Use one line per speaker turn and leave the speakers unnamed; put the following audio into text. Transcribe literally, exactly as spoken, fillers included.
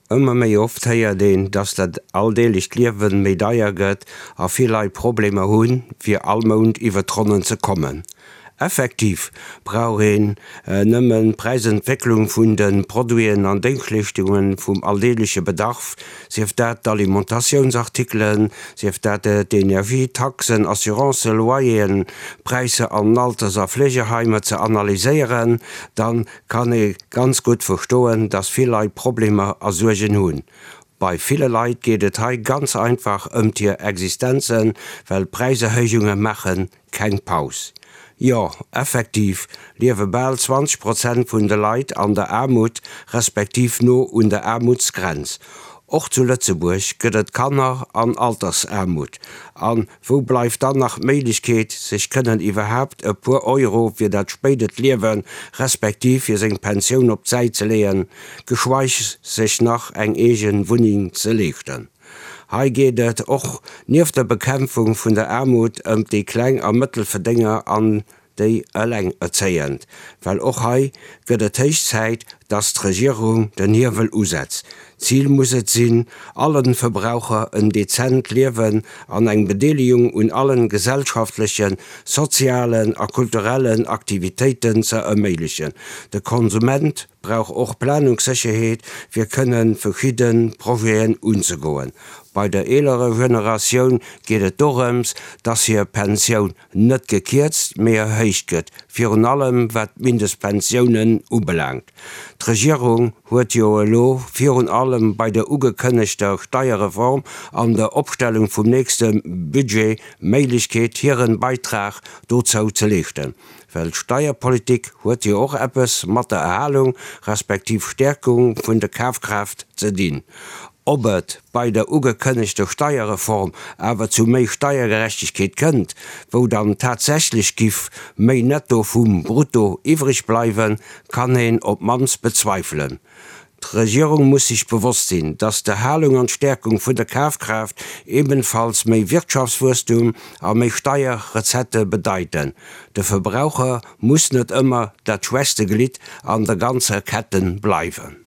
Ëmmer méi oft héiert een, dass dat alldeeglecht Liewen méi deier gëtt a vill Leit Problemer hunn, fir all Mount iwwer d'Ronnen ze kommen. Effektiv brauch een nëmmen d'Präisentwécklung vun de Produiten an Déngschtleeschtungen vum alldeegleche Bedarf, sief dat d'Alimentatiounsartikelen, sief dat d'Energie, Taxen, Assurancen, Loyeren, Präisser an Alters a Fleegeheimer ze analyséieren, dann kann ee ganz gutt verstoen, dass vill Leit Problemer a Suergen hunn. Bei ville Leit geet et hei ganz einfach ëmt hir Existenzen, well d'Präiserhéijunge maache keng Paus. Jo, effektiv liewe bal zwanzeg Prozent vun de Leit an der Aarmut, respektiv no un der Aarmutsgrenz. Och zu Lëtzebuerg gëtt et Kanner an Altersaarmut. A wou bleift dann nach d'Méiglechkeet, sech kënnen iwwerhaapt e puer Euro fir dat spéidert Liewen, respektiv fir seng Pensioun op d'Säit ze leeën, geschweig sech nach eng eege Wunneng ze leeschten? Hei geet et och nieft der Bekämpfung vun der Aarmut ëm déi Kleng a Mëttelverdénger an déi Elengerzéiend, well och hei gëtt et héich Zäit, dass d'Regierung den Hiewel usetzt. Zil muss et sinn, allen Verbraucher en dezent Liewen an eng Bedeelegung un allen gesellschaftlechen, sozialen a kulturellen Aktivitéiten ze erméiglechen. De Konsument brauch och Planungssécherheet, fir kënnen verschidden Projeten unzegoen. Bei der eelerer Generatioun geet et dorëms, dass hir Pensioun net gekierzt, mee erhéicht gëtt, virun allem wat d'Mindestpensiounen ubelaangt. D'Regierung huet jo elo virun allem bei der ugekënnegter Steierreform an der Opstellung vum nächste Budget d'Méiglechkeet, hiren Beitrag dozou ze leeschten. Well Steierpolitik huet jo och eppes mat der Erhalung respektiv Stäerkung vun der Kafkraaft ze dinn. Ob et bei der ugekënnegter Steierreform awer zu méi Steiergerechtegkeet kënnt, wou dann tatsächlech giff méi Netto vum Brutto iwwreg bleiwen, kann een op d'mannst bezweifelen. D'Regierung muss sech bewosst sinn, dass d'Erhalung an d'Stäerkung vun der Kafkraaft ebenfalls méi Wirtschaftswuesstum a méi Steierrecettë bedeiten. De Verbraucher muss net ëmmer dat schwächste Glidd an der ganzer Ketten bleiwen.